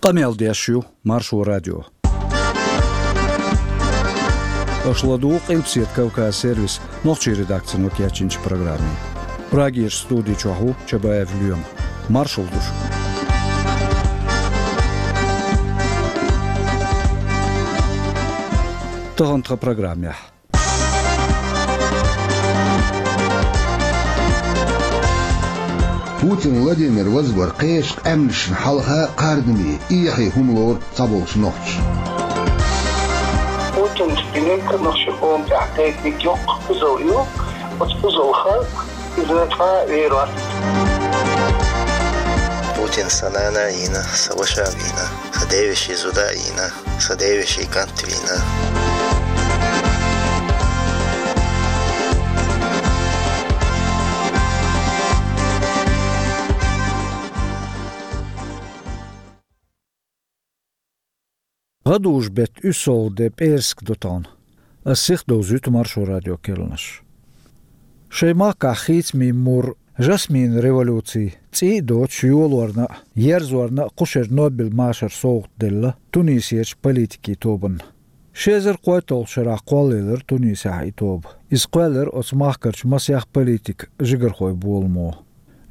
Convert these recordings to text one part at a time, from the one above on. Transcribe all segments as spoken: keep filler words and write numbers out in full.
Къамел деш ю Маршо радио. Аша ладугӀу Къилбаседа Кавказ сервисан нохчийн редакцино кечйинчу программе. Прагерчу студи чохь ву Чабаев Лоьма. Маршалла ду шуьга. Тахана тхан программехь. Путин Владимир вазбар кхечу къаьмнашна хьалха кхардаме, эхье хӀума лору цхьаболчу нохчаша. Путинца динарг нохчийн къоман тӀехь дайтинарг йоккха кхузалла ю, оцу кхузаллах иза цкъа а вер вац. Путина сан нана а йийна, сан ваша а вийна, сан девешин зуда а йийна, сан девешин кӀант а вийна. ГӀадужу-беттан уьссалгӀа де, пӀераска ду тахана. Ас сихдовзуьйту Маршо радион керланаш. Шайн махкахь хийцамийн мур, жасминан революци цӀий а доцуш йолорна а, ерзорна а кху шеран Нобелан машаран совгӀат делла Тунисерчу политикийн тобанна. Ши эзар кхойтталгӀачу шарахь кхоллаелира Тунисехь и тоба. Иза кхоьллира оцу махкарчу масех политикан жигархойн боламо.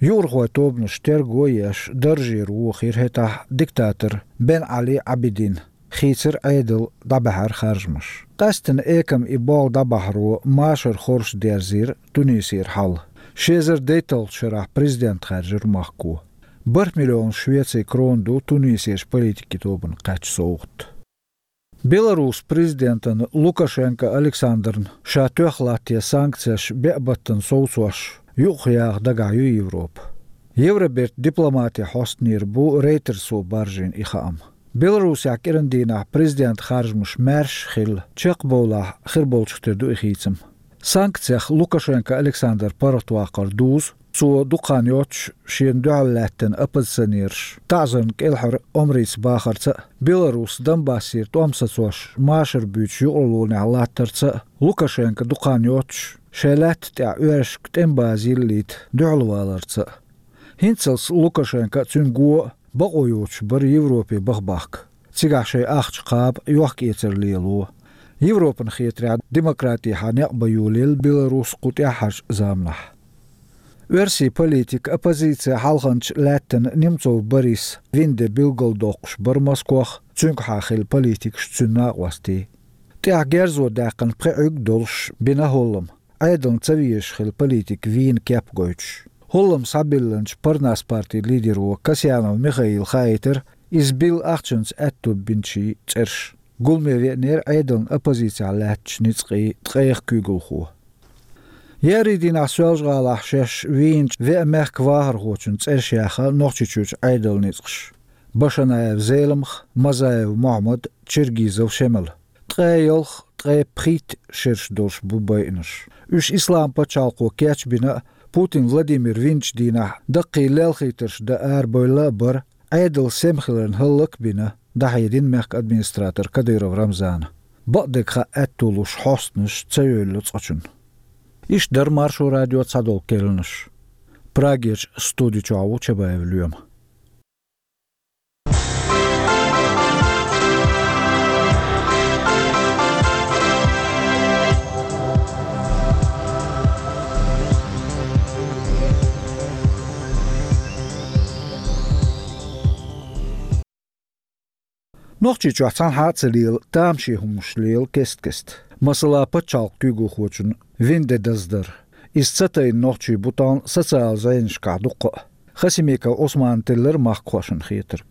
Юкъархойн тобанаш терго а еш, даржера вохийра хӀетахь диктатор Бен Али Абидин. Хийцира Ӏедал, дӀабаьхьира харжамаш. Къаьсттина экама и болх дӀабахьаро машар хорша дерзийра Тунисера хьал. Ши эзар дейтталгӀачу шарахь президент хаьржира махко. БархӀ миллион швецин крона ду Тунисерчу политикийн тобанна кхаьчна совгӀат. Беларусан президентана Лукашенко Александрна ша тоьхна латтаде санкцеш беа баттана совцош юкъахъяха дагахь ю Европа. Евробертан дипломатин хьостанера бу Рейтерсо баржийна и хаам. Беларусехь кӀиран дийнахь президентан харжамаш маьрша а хилла, чекхбовлахь хир болчух тера ду и хийцам. Санкцех Лукашенко Александр паргӀатваккхар дузу, цо дукха хан йоццуш шена дуьхьал лаьттина оппозиционераш таӀзарна кӀелхьара омрица бахарца а, Беларусс Донбассера тӀом сацош машар буьйцуш юкъараллехь латтарца а, Лукашенко дукха хан йоццуш шайн лаьтта тӀехь оьрсашка тӀеман база йиллийта дуьхьалваларца а. ХӀинццалц Лукашенко а, цуьнан го а бакъо йоцуш бара Европе баха бахка. Цигахь шайн ахча кхаба, йохк-эцар лело. Европана хетарехь, демократехьа некъ бан йолаелла Беларус кху тӀаьххьарчу заманахь. Оьрсийн политик, оппозицин хьалханча лаьттина Немцов Борис вина де билгалдоккхуш бара Москох, цуьнгахьа хилла политикаш, цуьнан накъостий. ТӀехь герзо даьккхина пхи Ӏуьрг долуш бина хӀоллам. Ӏедална ца везаш хилла политик вийна кеп гойтуш. ХӀоллам схьабиллинчу Парнас партин лидеро Касьянов Михаила хаийтира, иза билла ахчанца аьтто бинчийн цӀераш. Гуламе веанера Ӏедална оппозицехь лаьттачу ницкъийн ткъех куьйгалхо. Еарин дийнахь Соьлжа-ГӀалахь шаьш вийначу веа мехкан вахархочун цӀераш яьхна Нохчийчуьрчу Ӏедалан ницкъаша: Башанаев Зеламха, Мазаев Мохьмад, Чергизов Шемала. Ткъе ялх, ткъе пхийтта шераш долуш бу байинарш. Уьш Исламан пачхьалкхо кечбина а, Путин Владимир винчу дийнахь даккхий лелхийтарш дан арабевлла а бара, Ӏедал сема хиларна хӀаллак а бина, дӀахьедина мехкан администратор Кадыров Рамзана. Бакъдерг хаа аьтто луш хьостанаш ца йовлло цкъачунна. Иштта дара Маршо радион цхьадолу керланаш. Прагерчу студи чохь ву Чабаев Лоьма. Нохчийчохь цхьанхьа а ца лела, тамашийна хӀуманаш лела кест-кеста. Масала, пачхьалкхан куьйгалхочун вина де даздар. Иза ца тайна нохчий бу тахана социалан зӀенашкахь дуккха а. Хасимиков Ӏусмана теллира махкахошна хетарг.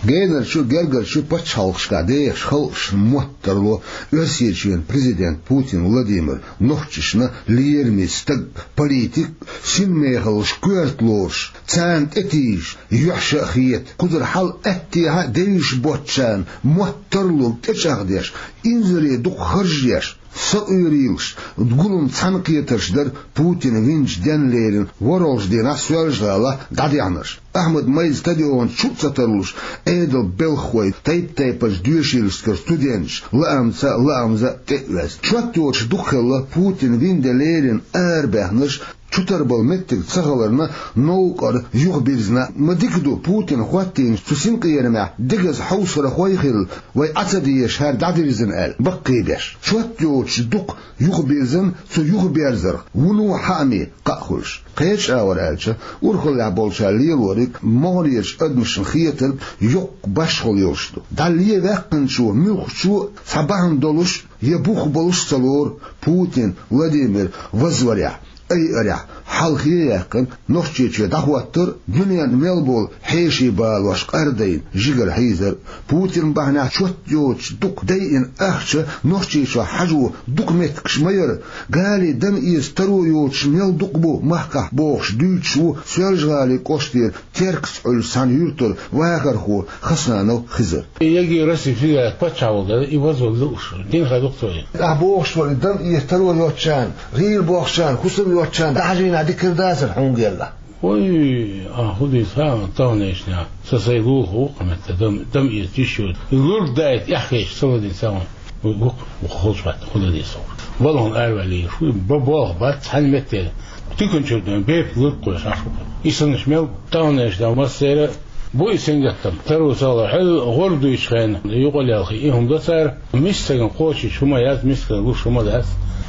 Генарчу, гергарчу пачхьалкхашкахь дехаш халкъашна мотт тарло Оьрсийчоьнан президент Путин Владимир нохчашна лераме стаг, политик, синмехаллаш коьрта лоруш, царна тӀетийжаш, юьхьаш а хета, кхузара хьал аьттехьа а девзаш боцчарна мотт тарлург тӀечӀагӀдеш, инзаре дукха харж а еш, сакъоьруш, гулам цхьаьнакхетарш дара Путин винчу денна леррина ворхӀалгӀачу дийнахь Соьлжа-ГӀалахь дӀадехнарш. Ахьмад-Майдан стадионе чу а ца тарлуш, Ӏедалан белхахой тайп-тайпанчу доьшийлашкара студенташ лаамца а, лаамза а тӀе а ваьзна. Чот йоцуш дукха хилла Путин вина де леррина арабаьхнарш, чу тара бола меттиг ца хиларна, новкъара юхабирзина. Ма дика ду, Путина хӀоттийнача цу синкъерамехь дегаза хьовсархой хилла, вай Ӏа ца дезаш хӀара дӀадирзина аьлла, баккхийбеш. Чот йоцуш дукха юхабирзина, цу юхаберзарх вуно хьаъ ме кхаъ хуьлуш. Кхечу агӀор аьлча, урхаллехь болчара лелориг могӀарерчу адамашна хетарг йоккха башхалла йолуш ду. ДӀа леваьккхинчо, муьлххачо а цхьа бахьана долуш я бух болуш а ца лору Путин Владимир вазварехь, айарехь, хьалхе а яьккхина, Нохчийчоь дӀахӀоттар а, дуьненна мел болу хьеший балош къардайна жигара хьийзар а. Путин бахьанехь чот йоцуш дукха дайина ахча Нохчийчохь хьажо дукха меттигаш ма яра. Гали дам эца таро йоцуш мел дукха бу махкахь бохуш дуьйцуш ву Соьлжа-ГӀалин кӀоштара Теркаца Ӏуьллуш цхьана юьртара вахархо Хасанов Хизар. И яги Россия федерация паччахь волу дела, и вазвала лууш, дин хадукх цо и. Ахь бохуш волу, и дам эца таро йоцучарна, гӀийла бохучарна, хӀусам йоцучарна, дӀахьажийна дикар дацара хьуна гелла. Ой, а, хӀун дийца, а, таханлерчу дийнахь, сан сайн лулахо ву-кх метта, дам, дам эца йиш йоцу. И лург дайта эхь хеташ ца ладийна сан ву, ву, ву, холчу хатта, хӀун дан деза ву. Балхана араваьлла йиш ву, бо-, болх бац, цхьана метте. Туьканчуьра дуьйна бепиг лург кхоьссуш Ӏаш ву. И санаш мел таханлерчу дийнахь массеран а бу и сингаттам. Таро ца хилар, хьуьлла гӀур дуьйцучу хенахь юкъа лелхий, и хӀума до цара. Миска стагана кхочуьйтуш хӀума яц, мискана луш хӀума дац.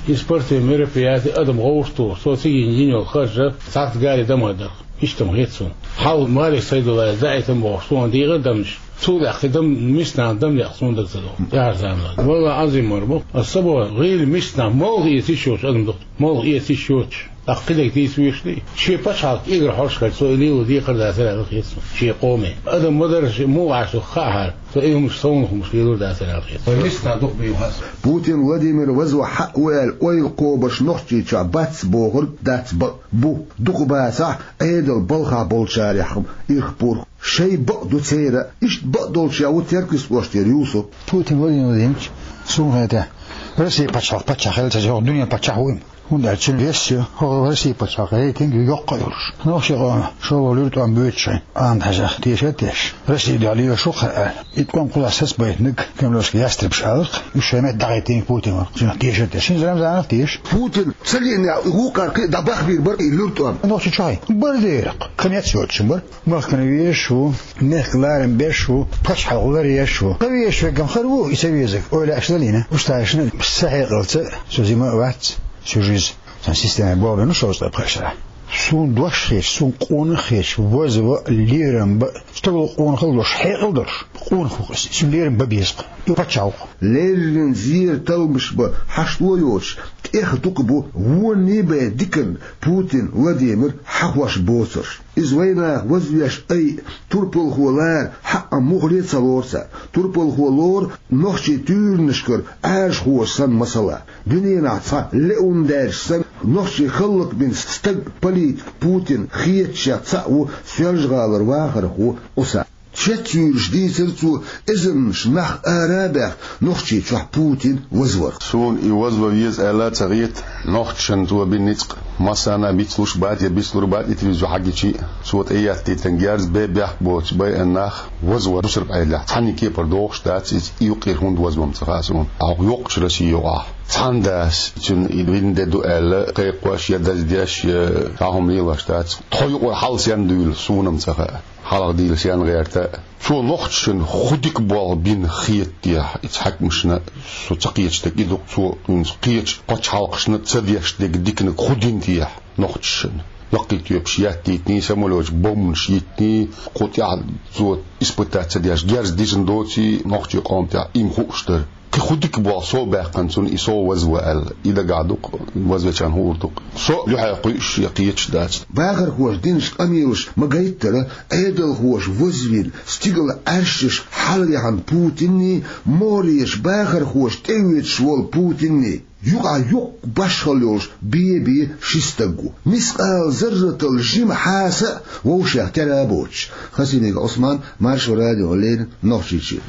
И спортивни мероприяти адам гӀовтталур, цо цига йина йолу харжа цхьацца гали дама дар. Иштта ма хета суна. Хьал Малик Сайдуллаевс даийтина бохуш, суна дийгӀира дамнаш. Цул тӀаьхьа дам, миска нахана дам декъа суна дага ца догӀу. Яхьар заманахь. Валла Ӏазим мара бу. Аса ца боху, гӀийла миска нах молха эца йиш йоцуш адам ду-кх. Молха эца йиш йоцуш. ТӀаккха кхидерг дийца везаш лий? Шен пачхьалкх кӀегар хьожуш хилча, цо и лело декхар дацара аьлла хета суна. Шен къоме. Адам ма дарра, муха Ӏаш ду хаахьара. Цо и хӀумаш, совнаха хӀумаш лелор дацара аьлла хета. Вай миска нах дукха бийр бац. Путин Владимир вазва хьаъ ву аьлла ойла кхобуш Нохчийчохь бац бохург дац бакъ. Бу, дукха бацахь, Ӏедал балхахь болчарех ирх-пурх. Шайн бакъ ду церан, иштта бакъдолчех ву Теркаца кӀоштара Юсуп. Путин Владимир Владимирович, суна хетахь, Россия пачхьалкх паччахь хилла ца, хӀокху дуьненан паччахь ву и. ХӀунда аьлча цуьнан вес ю, хӀокху Россия пачхьалкхан рейтинг ю йоккха а йолуш. Нохчийн къоман шолгӀа луьра тӀом боьдуш шайн Ахьмад-Хьаьжа теша а тешаш, Россия дуьхьал лелаш ву-кх хӀара аьлла. И тӀом кхузахь сацабайтинарг кремлевский ястребаш аларх, уьш шайн метта дӀахӀиттийнарг Путин вара, цуьнах тешар а тешаш. ХӀинца Рамзанах а тешаш. Путин ца гиънехь, вукхара кхин а дӀабахбийр бара и луьра тӀом. Нохчийчохь бара дера-кх. Кхин метташ йоцуш бара. Махкана везаш ву, мехкан ларам беш ву, пачхьалкх ларъеш ву. Кхин везаш верг-м хир ву, и ца везарг. Ойла аьлча далийна. Уьш тхаьшна са хьекъалца, со зима а вац, сюжиз. Сан система болх бина шовзткъе пхи шарахь. Суна дош хеташ, суна къонах хеташ, вазва а, лерам ба а, стагал къонахалла долуш, хьекъал долуш къонах ву-кх иза. Цуьнан лерам бан беза-кх. И паччахь ву-кх. Леррина зера талламаш бан хьашт ло йоцуш, тӀех дукха бу вонний бен диканна Путин Владимир хьахош боцурш. Иза вайнах вазвеш айа, турпалхо лара хьаъ муххале а ца лору цара. Турпалхо лору нохчийн туьйранашкара Ӏаьржахоша санна масала. Дуьненахь цхьа леун даьржа санна, нохчийн хӀаллакбина стаг, политик Путин хеташех цхьаъ ву Соьлжа-ГӀалара вахархо Ӏуса. Шеца юьйлуш дийцира цо эзарнаш нах ара а баьхна Нохчийчохь Путин вазварх. Суна и вазва веза аьлла а ца хета, нохчашна цо бина ницкъ массарна а бицлуш бац я бицлур бац, и телевизор хьагичи а, цо тӀеэттийтина герз бен бехк боцуш байина нах вазвар бусурба Ӏедалехь цхьанна кепара догӀуш дац иза, и юккъера хӀунда вазвар ма ца хаьа суна. Хьо йоккхачу Россия юкъахь цхьана дас, цуьнан и вина де ду аьлла, кхайкхош я даздеш, я цхьа хӀума лелош дац. Тхо юкъара хьал сенна дуьйлу, суна-м ца хаьа. Хьалха дийла сенна гӀерта а. Цо нохчашна хӀун дика болх бина хета техьа, иза хьаькамашна со ца кхеташ дерг и ду-кх, цо кхечу пачхьалкхашна ца деш дерг диканиг хӀун дина техьа нохчашна. Яккхий тоьпаш еттийтиний, самолёташ, бомбанаш йиттиний, кху тӀехь цо испытать ца деш, герз дисина доций, нохчийн къоман тӀехь и-м хууш дара. Кхин хӀун дика болх сов баьккхина цунна, и сов вазва аьлла, и дагахь ду-кх, вазвечарна хуур ду-кх. Со дуьхьал кхуьуш я кхеташ дац. Бахархоша динчу къамелаша ма гайттара, Ӏедалхоша вазвина, стигала Ӏаьршаш хьалаяхьна Путинний, могӀарерчу бахархоша тӀеоьцуш волу Путинний юкъахь йоккха башхалла йолуш бен-бен ши стаг ву. Мискъал зарратал жима хьаса а вовшех тера а боцуш. Хасимиков Ӏусман, Маршо радиона леррина, Нохчийчоь.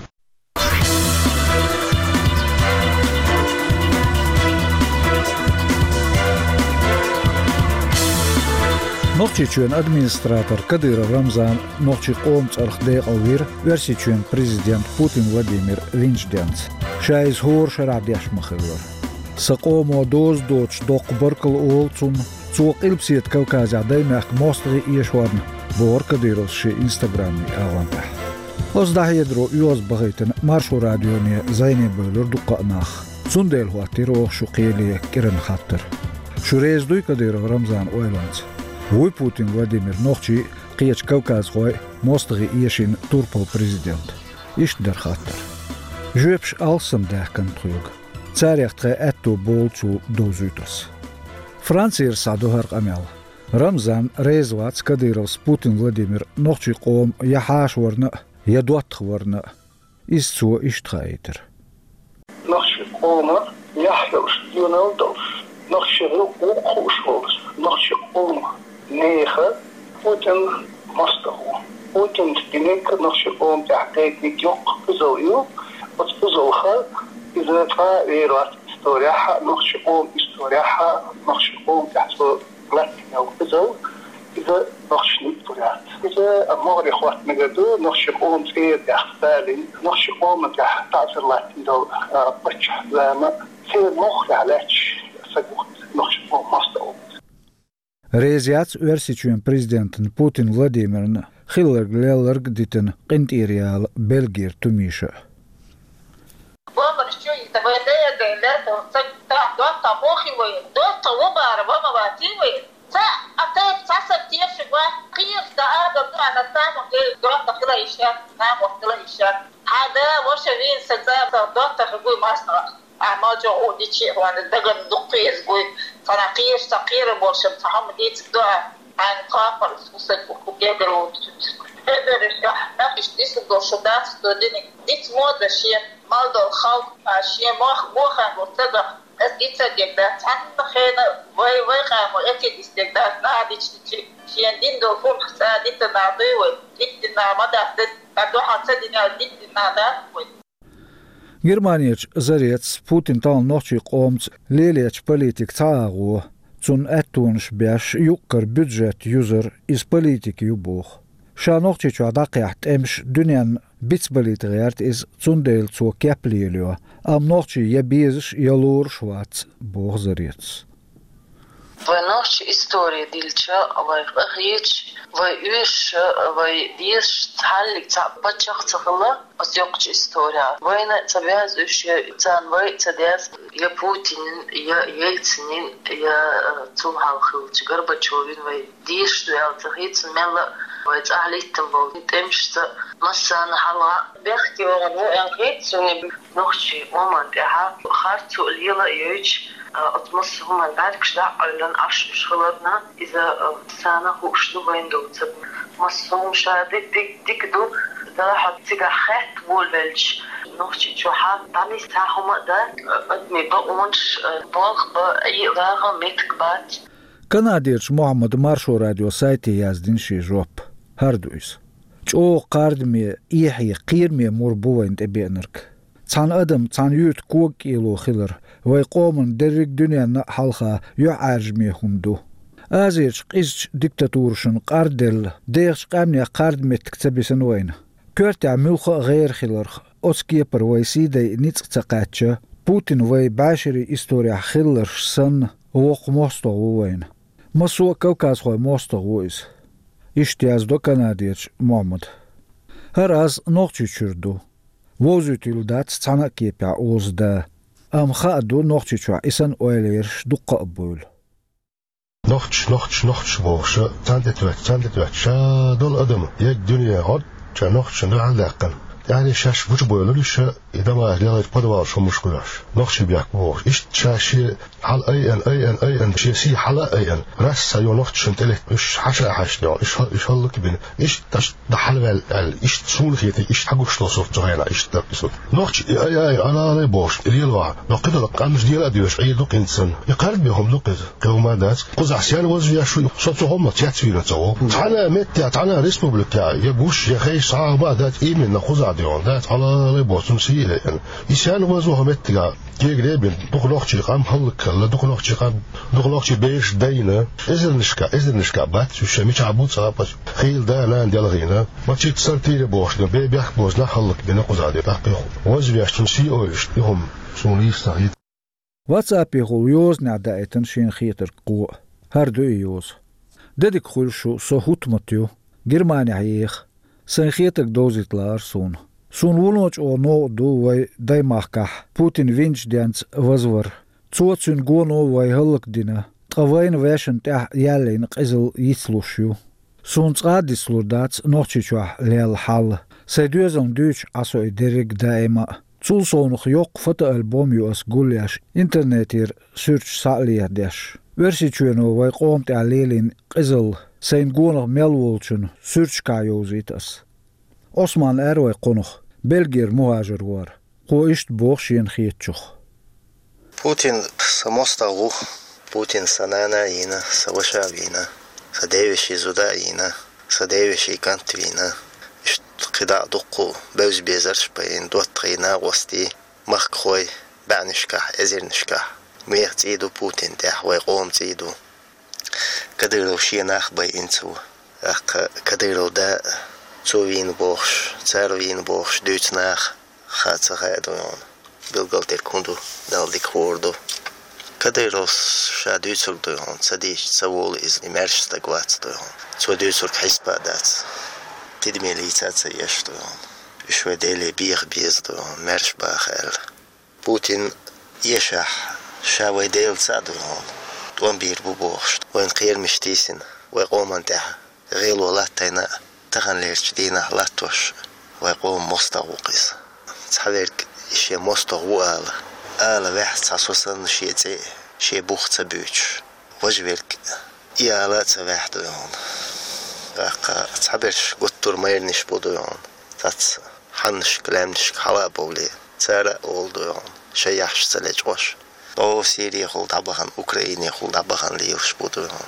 Нохчийчоьнан администратор Кадыров Рамзан нохчийн къоман цӀарах декъалвира Оьрсийчоьнан президент Путин Владимир винчу денца. Ша иза хӀора шарахь деш ма хиллара. Сан къомо доза доцуш доккха баркалла олу цунна, Цо Къилбаседа Кавказехь даймехка мостагӀий эшорна, бохура Кадыровс шен инстаграмийн агӀонехь. Оцу дӀахьедаро оьгӀаз бахийтина Маршо радионе зӀене бевлира дуккха а нах. Цундела хӀоттийра оха шу кхеле кӀиранан хаттар. Шу реза дуй Кадыров Рамзанан ойланца? Вуй Путин Владимир нохчий а, кхечу кавказхой а мостагӀий эшийна турпал президент? Иштта дара хаттар. Жоьпаш алссам даьхкина тхоьга. Царех тхайн аьтто болу цо довзуьйту ас. Францера схьадо хӀара къамел. Рамзан реза вац Кадыровс Путин Владимир нохчийн къоман я хьаша варна а, я доттагӀа варна а. Иза цо иштта хаийтира. Нохчийн къоман яхь йолуш, доьналла долуш, нохчийн гӀуллакх хууш волуш, нохчийн къоман нехан Путин мостагӀа ву. Путинца динарг нохчийн къоман тӀехь дайтинарг йоккха кхузалла ю. Оцу кхузаллах иза цкъа а вер вац исторехь а, нохчийн къоман исторехь а, нохчийн къоман тӀехь цо латтийна йолу кхузалла, иза нохчашна йиттур яц. Иза могӀаре хӀотта мегар ду, нохчийн къоман цӀера тӀехь Сталин, нохчийн къоман тӀехь таӀзар латтийна долу, а, паччахьан зама, церан мохх тӀехь лаьтташ са гуттар нохчийн къоман мостагӀа ву. Реза яц Оьрсийчоьнан президентана Путин Владимирна хилларг лелларг а дитина къинтӀера яла Бельгера Тумиша а. Бомбарш чу йита вай дера дайн лерта ца тахь доттагӀа бохи вай, доттагӀа ву бара, ва ма ватий вай. Ца а тайп ца са тешиг ва, кхийраш да адам ду, ана саму гей доттагӀа хила иша, саму хила иша. Хьада, ваша вин са ца, ца доттагӀа гуй мастагӀа. А ма чохь у дичи хьуна даган дуккхеза гуй, цхьана кхийраш ца кхийра болшам ца хьама дийциг ду а, хьайна кхапар сусаг у гегар у. Хьедараш ахь, нах иш дисиг долу шу дац, со диниг диц мода шен. Мал долу халкъ, а, шен мох бохам бу ца даха, ас дица дегда, цхьанна хена вай, вай къамо эки дис дегда, нагӀа дични чи, шен дин долу хӀума ца дита нагӀа дуй вай, диттина нагӀа ма дац, ца дуьхьа ца дина, диттина нагӀа дац вай. Германерчу Зарецас Путин тахана нохчийн къомца лелечу политика цхьа агӀо, цунна аьттонаш беш юккъара бюджет юзар, иза политика ю боху. Ша Нохчийчохь дӀакхехьа тӀемаш дуьненна бицбалийта гӀерта иза, цундела цо кеп лелайо, амма нохчий я безаш, я лоруш вац, боху Зарецас. Вай нохчийн истори дилча, вай къахеташ, вай уьш, вай дезаш цхьаллиг цхьаъ паччахь ца хилла оцу йоккхачу история. Вайна ца бяза уьш, царна вай ца деза, я Путинин, я Ельцинин, я, э, цул хьалха хиллачу Горбачевин вай дезаш ду аьлла ца хета, мелла а вай цӀахь литтина болу тӀемашца массарна хьалха бехке вахана ву аьлла хета суна. Нохчийн къоман тӀехь харцо лела а йойтуш, а, оцу массо а хӀуманна бӀаьргаш дӀа а Ӏоьллина, Ӏаш уьш хиларна, иза, а, царна хууш ду вайна доцург. Массо а хӀума ша дика, дика, дика ду, делахь а цигахь хатта волавелча, Нохчийчохь дӀанисса хӀума а дац, а, адамийн бакъонаш, а, болх бан, Ӏе а вагӀа меттиг бац. Канадерчу Мухьаммада Маршо радион сайте яздина шен жоп. ХӀара ду иза. ЧӀогӀа кхардаме, эхье, кхераме мур бу вайна тӀебеанарг. Цхьана адам, цхьана юьрта кога кӀело хилар вайн къоман дерриг дуьненна а хьалха юьхьӀаьржаме хӀума ду. Азерчу къизачу диктатурашна къарделла, дехачу къаьмнех кхардаметтиг ца бисина вайна. Коьртехь муьлхха а гӀера хиларх, оцу кепара вай сий дайа ницкъ ца кхаьчча, Путин вай бӀешерийн исторехь хилларш санна, воккха мостагӀа ву вайна. Массо а кавказхойн мостагӀа ву иза. Иштта яздо Канадерчу Мухьаммада. ХӀара аз Нохчийчуьра ду. Вовзуьйтийла дац цхьана а кепехь оза да. Амма хаа ду, Нохчийчохь и санна ойла ерш дуккха а буйла. Нохчаш, нохчаш, нохчаш бохуша, царна тӀе тоьтту, царна тӀе тоьтту, ша долу адам, ерриг дуьне гӀод, ша нохчашна дуьхьал даьккхина. ТӀаьхьарий шаьш гучубевлла уьш, и дамаш лелхачу подвалаш хӀумаш хуьлуш. Нохчий бехк бохуш. Иштта ша шен хьала айъан, айъан, айъан, шен сий хьала а айъан. Расса йо нохчашна тӀелетта уьш хьаша а хьаьшна йо, уьш хӀал-, уьш хӀаллакбина. Иштта тӀаш дан хьалаваьлла аьлла, иштта суна хетий, иштта хьагуш долу сурт цу хенахь, иштта дара иза. Нохчий и ай, ай, алалай бохуш, и лелавахь, но кхидолу къамаш дела а доьшу, Ӏийр ду-кх хӀинца санна. И кхард бен хӀума ду-кх иза, кхин хӀума а дац. Кхузахь сен вазвеш ву, со цу хӀуманах цецвийна ца ву. Цхьана а меттехь, цхьана а республикехь, я гуш, я хеш, схьа а хӀума а дац, именно кхузахь де хьуна дац, алалай боху, цунна сий а лаьа. И сен вазво хӀу меттигахь? Кегаре а бина, дукха нохчий къам хӀаллакьхилла, дукха нохчий къам, дукха нохчий бераш дайна, эзарнашка, эзарнашка бац уьш, мичахь бу цкъа а паччахь, хийла да-нана делхийна, мачийта сартийра бохуш ду, бе-, бехк бозу нах хӀаллакбина кхузахь де, тӀаккха и хӀу-, вазвеш цунна сий ойуш, и хӀума суна йист ца хета. Ватсапехула йозанехь даийтина шена хетарг кхо а. ХӀара ду и йоза. Де дика хуьлда шу, со ХӀутмат ю, Германехь еха. Сайн хетарг довзийта лаара суна. Суна вуно чӀогӀа новкъа ду вай даймахкахь Путин винчу денца вазвар. Цо, цуьнан гоно вай хӀаллакдина, ткъа вайна вешан тӀехь яьллина къизалла йицлуш ю. Суна цкъа а дицлур дац Нохчийчохь лелла хьал. Сайн доьзална дуьйцуш Ӏа со и дерриг даима а. Цул совнаха йоккха фотоальбом ю ас гулъеш, интернетера суьрташ схьа а леладеш. Оьрсийчоьно вай къоман тӀехь лелийна къизалла сайна гонах мел волчун суьрташкахь йовзийта ас. Ӏусман аьлла вай кхунах, Бельгера мухӀажар вара. Кхо иштта боху шена хетачух. Путин сан мостагӀа ву. Путин сан нана а йийна, сан ваша а вийна, сан девешин зуда а йийна, сан девешин кӀант а вийна. Иштта кхидӀа а дуккха бевза-безарш а пайина, доттагӀий, накъостий, махкахой, бӀаьннашкахь, эзарнашкахь. Вайх цӀий ду Путин тӀехь, вай къоман цӀий ду. Кадыров шен нах байина ца ву. ТӀаккха Кадыров да, цо вийна бохуш, цара вийна бохуш дуьйцу наха хаа ца хаьа ду хьуна. Билгалдерг хӀун ду, Далла дика хуур ду. Кадыровс ша дуьйцург ду хьуна, ца дийча ца волу иза, и маьрша стаг вац ду хьуна. Цо дуьйцург хьесапа дац. Тидаме лийца а ца еш ду хьуна. Уьш вай Деле беха беза ду хьуна, маьрша баха аьлла. Путин эшахь, ша вай Дела цхьаъ ду хьуна, тӀом бийр бу бохуш, вайн кхерамаш тийсина, вай къоман тӀехь гӀело латтайна а, таханлерчу дийнахь латтош вай къоман мостагӀа ву-кх иза. Цхьаверг и шен мостагӀа ву ала, ала ваьхьа цхьа со санна шен цӀе а, шен бух ца буьйцуш. Важа верг и ала а ца ваьхьа ду хьуна. ТӀаккха цхьаберш гуттар майранаш бу ду хьуна. Цац хьаннашка, лаьмнашка хьала а бовлий, цара а олу ду хьуна, шайн яхьаш ца лечкъош. ДӀо Сирехула дӀабахана, Украинехула дӀабахана лелаш бу ду хьуна.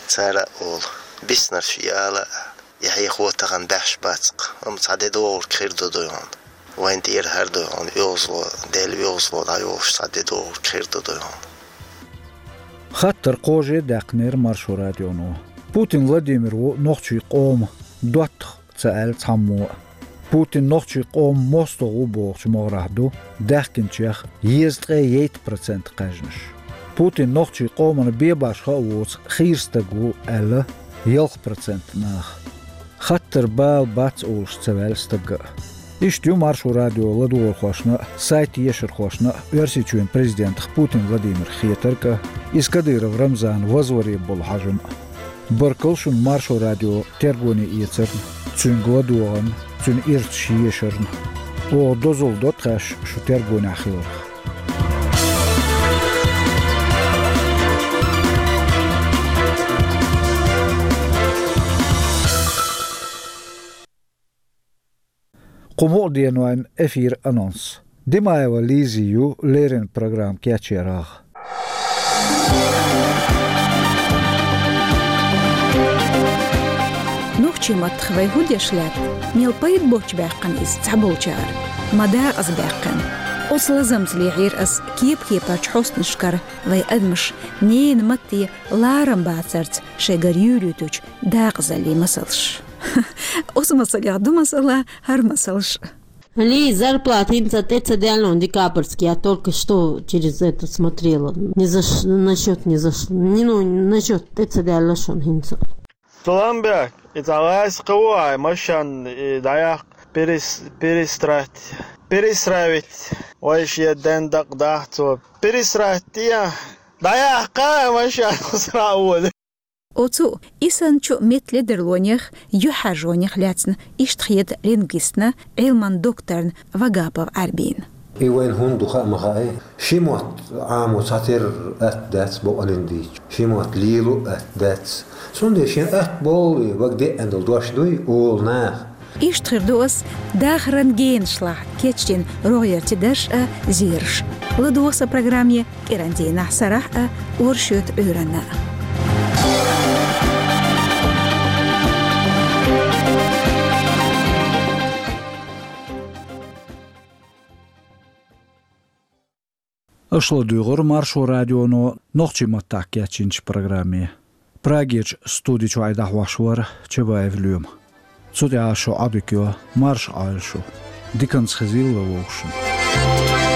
Цара а олу, биснарш и ала а, и хьехо тахана баьхьаш бац-кх, амма цхьа де догӀург хир ду ду хьуна. Вайн тӀера хӀара ду хьуна, оьгӀазло, Делан оьгӀазло дӀайолуш цхьа де догӀург хир ду ду хьуна. Хаттар кхоже а даьккхинера Маршо радионо. Путин Владимир ву нохчийн къоман доттагӀа ца аьлла цхьаммо а. Путин нохчийн къоман мостагӀа ву бохучу могӀарехь ду даьхкинчех езткъе ейтта процент кхаьжнаш. Путин нохчийн къоманна бен башха а воцу хийра стаг ву аьлла ялх процент наха. Хаттар бала бац олуш ца ваьлла стага а. Иштта ю Маршо радион ладогӀархошна а, сайтан ешархошна а Оьрсийчоьнан президентах Путин Владимирах хетарг а, иза Кадыров Рамзанан вазваре болу хьожам а. Баркалла шуна Маршо радион тергоне эцарна, цуьнга ладогӀарна, цуьнан ирчаш ешарна. Оха дозалла до тхаьш шу тергонехь хиларх. Кху мукъа денойн эфиран анонс. Димаева Лизи ю леррина программа кечъярах. Нохчийн маттах вай хӀун деш лаьтта? Мел пайда боцчу баьккхина иза цхьаболчара? Ма дакъаза баьккхина. Оцу лазамца лехьийра ас кеп-кепарчу хьостанашкара вай адамаш ненан матте ларам бацарца шайгара юьйлуьйтучу дакъазаллин масалш. Оцу масалех ду масала хӀара масалш. Лий, зарплата хӀинца тӀе ца даьлла декабрьский, я только что через это смотрела. Не заш-, на счёт не зашла. Не, ну, на счёт тӀе ца даьлла шуна хӀинца. Салам бек, и цхьа лаьцна кхин ву хьайн машен, и дӀаяккха перес-, перестроить. Перестроить. Вай шен ден дакъа дахьа цо. Перестроить я. ДӀаяккха машен, сра а воьду. Оцу, и санна чу меттан ледарлонех, юьхьӀаьржонех лаьцна иштта хета лингвистна, Ӏилман докторна Вагапов Ӏаьрбина. И вайна хӀунда ду хаа ма хаьа. Ши мотт Ӏамо цхьатерра атта дац бакъалина дийцча. Ши мотт лело а атта дац. Цундела шен атта болу, вага деана долу дош дуй, олу наха. Иштта хир ду ас дахаран генашлахь кечдина рогӀерчу дарш а, зераш. ЛадогӀа сан программе кӀиран дийнахь сарахь а, оршоьтан Ӏуьйранна а. Аша ладуьйгӀура Маршо радионо нохчийн маттахь кечйинчу программе. Прагерчу студи чуьра дӀахьош вара Чабаев Лоьма. Цу тӀехь шу Ӏодика йо, марша Ӏойла шу. Диканца хезийла вовшашна.